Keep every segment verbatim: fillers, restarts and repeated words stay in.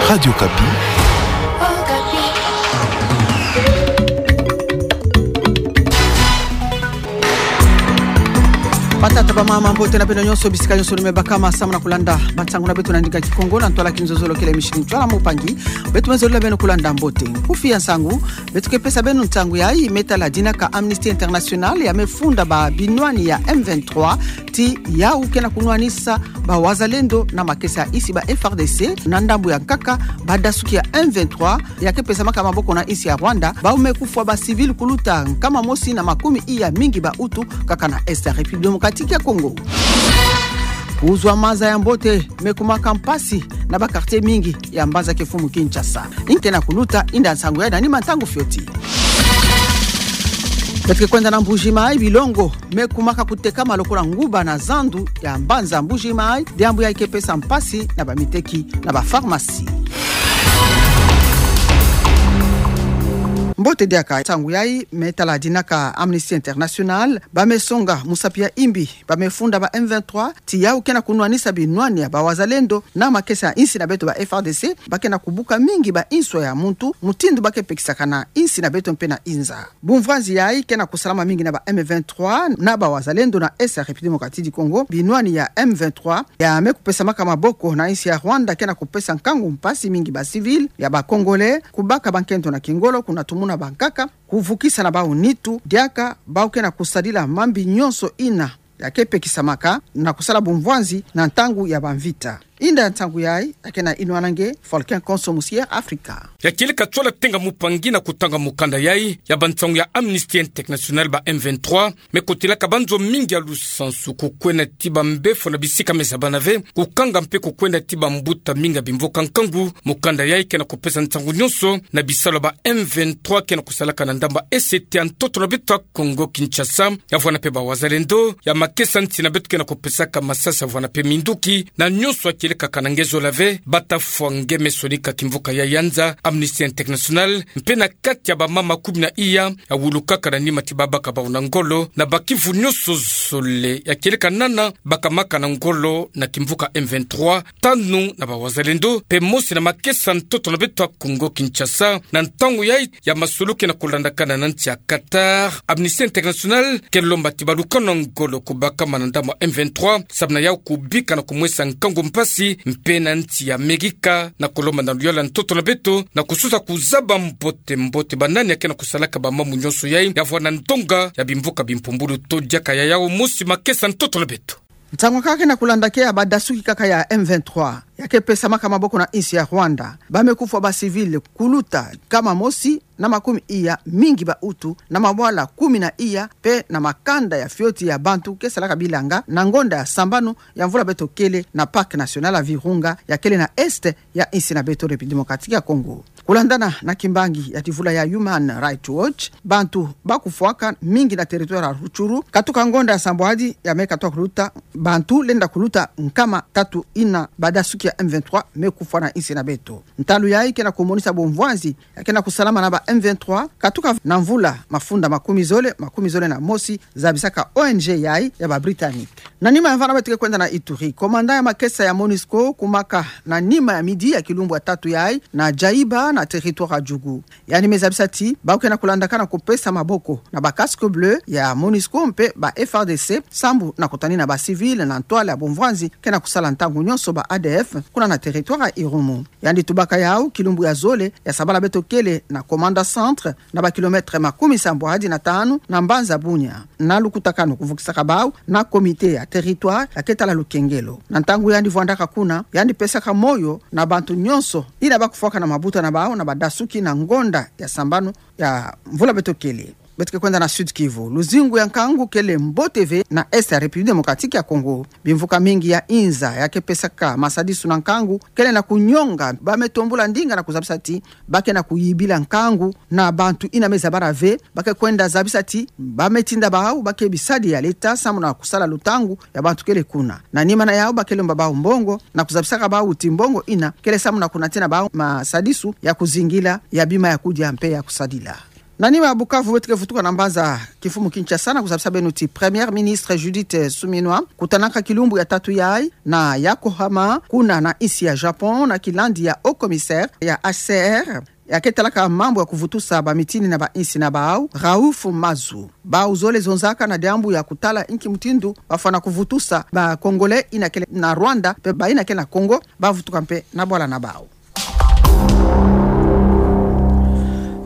Radio Okapi. Batata, bamama, mbote na beno nyonso, bisika nyonso lumebakama samu na kulanda bansangu na beto na ndinga Kikongo na ntwala kinzozolo kele mishini ntwala mupangi. Beto me zolila beno kulanda mbote. Nkufi ya nsangu, beto ke pesa beno nsangu yayi me tala dinaka Amnesty International ya me funda ba binwani ya M vingt-trois, ti yawu ke na kunwanisa ba wazalendo na makesa ya insi, ba F R D C, na ndambu ya nkaka badasuki ya M vingt-trois, ya ke pesamaka maboko na insi ya Rwanda, bawu me kufwa ba civil kuluta nkama mosi na makumi iya mingi ba Hutu, kaka na Est ya République Démocratique ya Congo. Kuzwa maza ya mbote me kumaka mpasi na ba quartier mingi ya mbanza-kifumu Kinshasa. Nge ke na kuluta inda nsangu yayi na nima ntangu fioti. Beto ke kwenda na Mbuji-Mayi, bilongo me kumaka kutekama lokola nguba na zandu ya mbanza Mbuji-Mayi, diambu yayi ke pesa mpasi na bamiteki na ba pharmacie. Mbote diaka, nsangu yayi me tala dinaka Amnesty International, ba me songa musapi ya imbi ba me funda ba M vingt-trois, ti yawu ke na kunwanisa binwani ya ba wazalendo na makesa ya insi na beto, ba F R D C, ba ke na kubuka mingi ba inswa ya muntu, mutindu ba ke pekisakana insi na beto mpe na inza. Bumvwanzi yayi ke na kusalama mingi na ba M vingt-trois na ba wazalendo na Est ya République Démocratique du Congo, binwani ya M vingt-trois ya me kupesamaka maboko na insi ya Rwanda ke na kupesa nkangu mpasi mingi ba civil ya ba Congolais, kubaka bankento na kingolo, kunatumuna bankaka, kuvukisa na bawu nitu, diaka bawu ke na kusadila mambi nyonso ina ya ke pekisamaka na kusala bumvwanzi na ntangu ya bamvita. Inda nsangu yayi ya ke na inwananga Volcan Konso Musier Africa. Ya kieleka tsola tenga mupangi na kutanga mukanda yayi ya bansangu ya Amnesty International, ba M vingt-trois me kotelaka banzo mingi ya lusansu, kukwenda ti bambefo na bisika me zabana ve, kukanga mpe kukwenda ti bambuta mingi ya bimvoka nkangu. Mukanda yayi ke na kupesa nsangu nyonso na bisalu ya ba M vingt-trois ke na kusalaka na ndambu ya Est ya ntoto na beto ya Congo Kinshasa, ya vwanda mpe ba wazalendo ya makesa nsi na beto ke na kupesaka masasi, ya vwanda mpe minduki, na nyonso ya kieleka kana nge zola ve, bata fwa nge me sonika kimvuka ya yanza. Amnesty International mpe na kati ya bamama kumi na iya ya wulukaka na nima ti babaka bawu na ngolo na bakivu nyonso zole, ya kieleka nana bakamaka na ngolo na kimvuka M vingt-trois, tanu na ba wazalendo, mpe mosi na makesa ntoto na beto ya Congo Kinshasa. Na ntangu yayi ya masolo ke na kulandakana na nsi ya Qatar, Amnesty International ke lomba ti baluka na ngolo kubakama na ndambu ya M vingt-trois, samu na yawu kubika na kumwesa nkangu mpasi mpe na nsi ya Amerika, na kulomba na luyala ntoto na beto na kusosa kuzaba mbote mbote banani ya ke na kusalaka bamambu nyonso yayi, ya vwanda ndonga ya bimvuka bimpumbulu to diaka ya yawu mosi makesa ntoto na beto. Nsangu kaka ke na kulanda ke ya badasuki kaka ya M vingt-trois ya ke pesamaka maboko na insi ya Rwanda, ba me kufwa ba civil kuluta nkama mosi na makumi iya mingi ba Hutu, na mabwala kumi na iya mpe na makanda ya fioti ya bantu ke salaka bilanga na ngonda ya sambanu ya mvula beto kele na Parc National ya Virunga ya kele na Est ya insi na beto République Démocratique ya Congo. Kulandana na kimbangi ya tivula ya Human Rights Watch, bantu ba kufwaka mingi na territoire ya Rutshuru, katuka ngonda ya sambwadi ya me katuka kuluta, bantu lenda kuluta nkama tatu ina badasuki ya M vingt-trois me kufwa na insi na beto. Ntalu yayi ke na kumonisa bumvwanzi ya ke na kusalama na ba M vingt-trois, katuka na mvula mafunda makumi zole, makumi zole na mosi, zabisaka O N G yayi ya ba Britannique. Na nima ya vana beto ke kwenda na Ituri. Commandant ya makesa ya MONUSCO kumaka na nima ya midi ya kilumbu ya tatu yayi na Djaïba na territoire ya Djugu. Yandi me zabisa ti ba ke na kulandakana kupesa maboko na ba casques bleus ya MONUSCO mpe ba F R D C, sambu na kutanina ba civils na ntwala ya bumvwanzi ke na kusala ntangu nyonso, ba A D F, kuna na territoire ya Irumu. Yandi tubaka yawu kilumbu ya zole ya sabala beto kele na Komanda Centre, na ba kilomètres makumi sambwadi na tanu na mbanza Bunia. Na lukutakanu kuvukisaka bawu na comité ya territoire ya ke tala lukengelo. Na ntangu yandi vwandaka kuna, yandi pesaka moyo na bantu nyonso ina ba kufwaka na mabuta na bawu na badasuki na ngonda ya sambanu ya mvula beto kele. Beto ke kwenda na Sud-Kivu. Luzingu ya nkangu kele mbote ve na Est ya République Démocratique ya Congo. Bimvuka mingi ya inza ya ke pesaka masadisu na nkangu kele na kunyonga ba me tombula ndinga na kuzabisa ti ba ke na kuyibila nkangu na bantu ina me zabala ve. Ba ke kwenda zabisa ti ba me tinda bawu ba ke bisadi ya leta samu na kusala lutangu ya bantu kele kuna. Na nima na yawu ba ke lomba bawu mbongo na kuzabisaka bawu ti mbongo ina kele samu na kunatina bawu masadisu ya kuzingila, ya bima ya kudia mpe ya kusadila. Na nima ya Bukavu, beto ke vutuka na mbanza kimfumu Kinshasa na kuzabisa beno ti Première Ministre Judith Suminwa kutanaka kilumbu ya tatu yayi na Yokohama, kuna na insi ya Japon, na kilandi ya Haut Commissaire ya H C R, ya ke talaka mambu ya kuvutusa bamitini na bainsi na bau, Raouf Mazou. Bau zole zonzaka na diambu ya kutala inki mutindu bafwana kuvutusa ba Congolais ina kele na Rwanda, mpe bayina kele na Congo, bavutuka mpe na bwala na bau.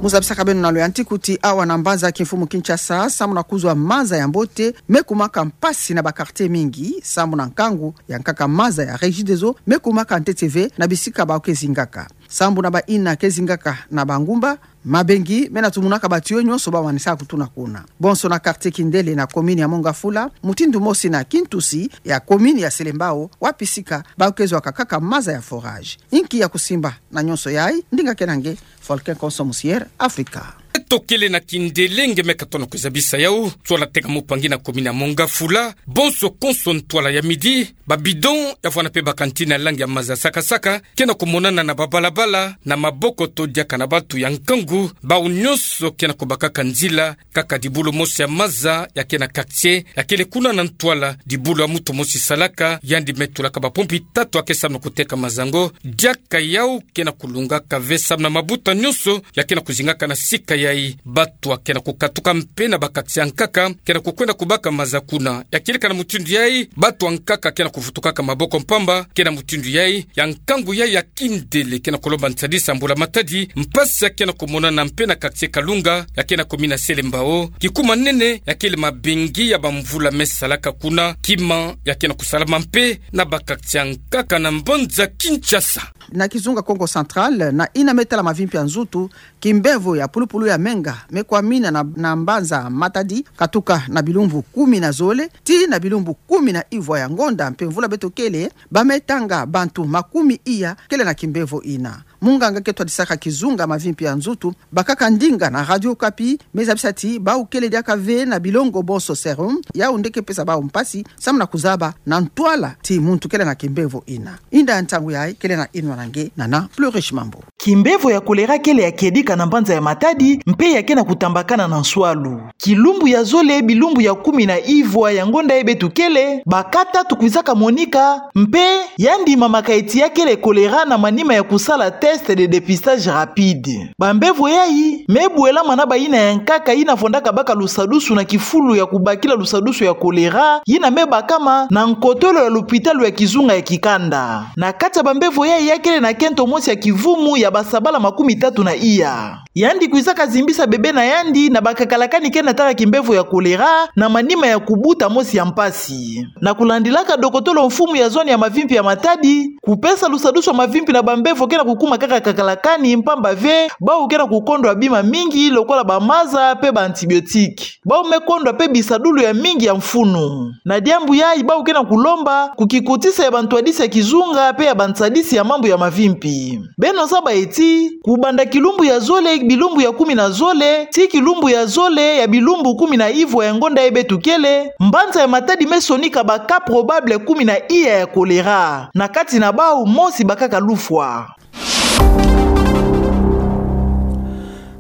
Mu zabisaka beno na loyantiku ti awa na mbanza kimfumu Kinshasa, sambu na kuzwa maza ya mbote, me kumaka mpasi na ba quartiers mingi, sambu na nkangu ya nkaka maza ya Regideso me kumaka ntete ve na bisika bau ke zingaka. Sambu na bayina ke zingaka na bangumba, mabengi mena tumunaka ba tuyaux nyonso bau manisaka kutuna kuna. Bonso na quartier Kindele na commune ya Mont-Ngafula, mutindu mosi na Kintusi ya commune ya Selembao, wapi sika bau ke zwaka kaka maza ya forage. Inki ya kusimba na nyonso yayi? Ndinga ke na nge, Volcan Konso Musiere, Afrika. Beto kele na Kindele, nge me katono kuzabisa yau, ntwala teka mupangi na commune ya Mont-Ngafula, bonso konso ntwala ya midi, ba bidon ya vwanda mpe ba cantine ya langi ya maza saka-saka ke na kumonana na babalabala, na maboko to diaka na bantu ya nkangu, bau nyonso ke na kubakaka nzila, kaka dibulu mosi ya maza ya ke na quartier ya kele kuna na ntwala, dibulu ya muntu mosi salaka, yandi me tulaka ba pompi tatu ya ke sambu na kuteka maza yango, diaka yau ke na kulungaka ve sambu na mabuta nyonso ya ke na kuzingaka na sika yayi. Bantu ya ke na kukatuka mpe na ba quartier ya nkaka ke na kukwenda kubaka maza kuna. Ya kieleka na mutindu yayi, bantu ya nkaka ke na kuvutukaka maboko mpamba, ke na mutindu yayi, ya nkangu yayi ya Kindele ke na kulomba nsadisi ya mbula matadi, mpasi ya ke na kumonana mpe na quartier Kalunga ya ke na commune ya Selembao, kikuma nene ya kele mabengi ya bamvula me salaka kuna, kima ya ke na kusalama mpe na ba quartier ya nkaka na mbanza Kinshasa. Na kizunga Kongo Central, na yina me tala mavimpi ya nzutu, kimbevo ya pulupulu ya menga me kwamina na, na mbanza Matadi, katuka na bilumbu kumi na zole tii na bilumbu kumi na ivwa ya ngonda mpe mvula beto kele, ba me tanga bantu makumi iya kele na kimbevo yina. Munganga ke twadisaka kizunga mavimpi ya nzutu, bakaka ndinga na Radio Okapi, me zabisa ti bau kele diaka ve na bilongo bonso serum, yau nde ke pesa bau mpasi sambu na kuzaba na ntwala ti muntu kele na kimbevo yina. Inda ya ntangu yayi kele na inwa na nge, Nana Plurish Mambu. Kimbevo ya kolera kele ya kiedika na mbanza ya Matadi, mpe ya ke na kutambakana na nswalu. Kilumbu ya zole bilumbu ya kumi na ivwa ya ngonda yayi beto kele, ba cas tatu kwizaka monika, mpe yandi mamaka ti ya kele kolera na manima ya kusala test de dépistage rapide. Bambevo yayi me bwelama na bayina ya nkaka yina vwandaka baka lusadusu na kifulu ya kubakila lusadusu ya kolera, yina me bakama na nkotolo ya lupitalu ya kizunga ya Kikanda. Na kati ya bambevo yayi, ya kele na kento mosi ya kivumu ya basabala makumi tatu na iya. Yandi kwizaka zimbisa bebe na yandi na bakakalakani ke na tala kimbevo ya kolera, na manima ya kubuta mosi ya mpasi. Na kulandilaka dokotolo mfumu ya zone ya mavimpi ya Matadi, kupesa lusadusu ya mavimpi na bambevo ke na kukuma kaka kakalakani, mpamba ve bau ke na kukondwa bima mingi lokola bamaza mpe ba antibiotique. Bau me kondwa mpe bisadulu ya mingi ya mfunu. Na diambu yayi, bau ke na kulomba kukikutisa ya bantwadisi ya kizunga mpe ya bansadisi ya mambu ya mavimpi. Beno zaba ti, kubanda kilumbu ya zole bilumbu ya kumi na zole tii kilumbu ya zole ya bilumbu kumi na ivwa ya ngonda yayi beto kele, mbanza ya Matadi me sonika ba cas probable kumi na iya ya kolera. Na kati na bau, mosi bakaka lufwa.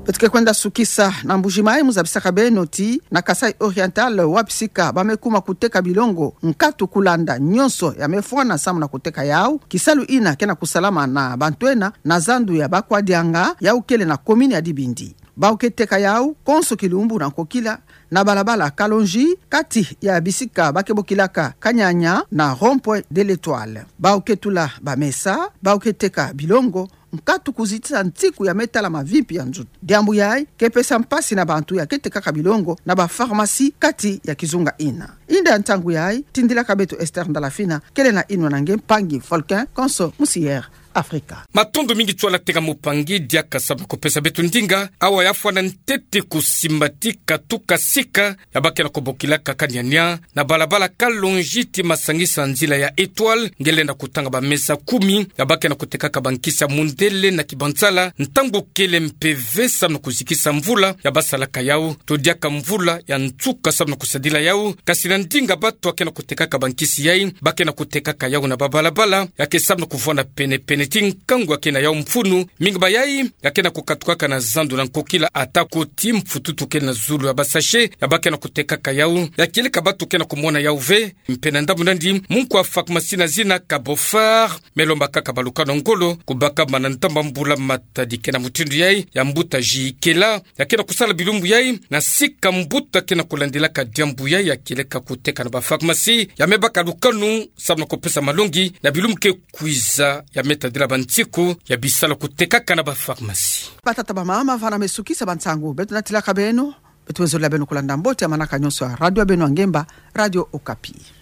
Beto ke kwenda sukisa na Mbuji-Mayi, mu zabisaka beno ti na Kasaï Oriental, wapi sika ba me kuma kuteka bilongo nkatu kulanda nyonso ya me fwana sambu na kuteka yau, kisalu yina ke na kusalama na bantu ena na zandu ya Bakwadianga, yau kele na commune ya Dibindi. Bau ke teka yau konso kilumbu na nkokila, na balabala Kalonji, kati ya bisika ba ke bokilaka Kanyanya na rond-point de l'Etoile. Bau ke tula bamesa, bau ke teka bilongo nkatu kuzitisa ntiku ya me tala mavimpi ya nzutu. Diambu yayi ke pesa mpasi na bantu ya ke tekaka bilongo na ba pharmacie kati ya kizunga yina. Inda ya ntangu yayi, tindilaka beto Esther Ndalafina, kele na inwa na nge, mpangi Volcan Konso Musiere, Afrika. Matondo mingi, ntwala teka mupangi, diaka sambu na kupesa beto ndinga. Awa ya fwana ntete kusimba ti katuka sika ya ba ke na kubokilaka Kanyanya, na balabala Kalonji tii masangisa nzila ya Etoile, nge lenda kutanga bamesa kumi ya ba ke na kutekaka bankisi ya mundele na kibansala, ntangu kele mpe ve sambu na kuzikisa mvula ya ba salaka yau, to diaka mvula ya nsuka sambu na kusadila yau, kasi na ndinga bantu ya ke na kutekaka bankisi yayi, ba ke na kutekaka yau na babalabala ya ke sambu na kuvwanda pene-pene ti nkangu ya ke na yau mfunu, mingi ba yai ya ke na kukatukaka na zandu na nkokila, atako ti mfututu kele na zulu ya basashe ya ba ke na kutekaka yau. Ya kieleka batu ke na kumona yau ve. Mpe na ndambu nandi, munku ya pharmacie na zina Cabo Phare me lombakaka baluka na ngolo kubaka mana ntamba mbula matadi ke na mutindu yai ya mbuta Jikela ya ke na kusala bilumbu yai na sika mbuta ke na kulandilaka diambu yai ya kieleka kuteka na ba pharmacie ya me baka lukanu samu na kupesa malongi na bilumbu ke kwiza ya me tadila ba nsiku ya bisalu kutekaka na ba pharmacie. Batata, bamama, vana me sukisa ba nsangu beto natilaka beno. Beto wezolila beno kulanda mbote ya manaka nyonso ya radio ya beno ya ngemba, Radio Okapi.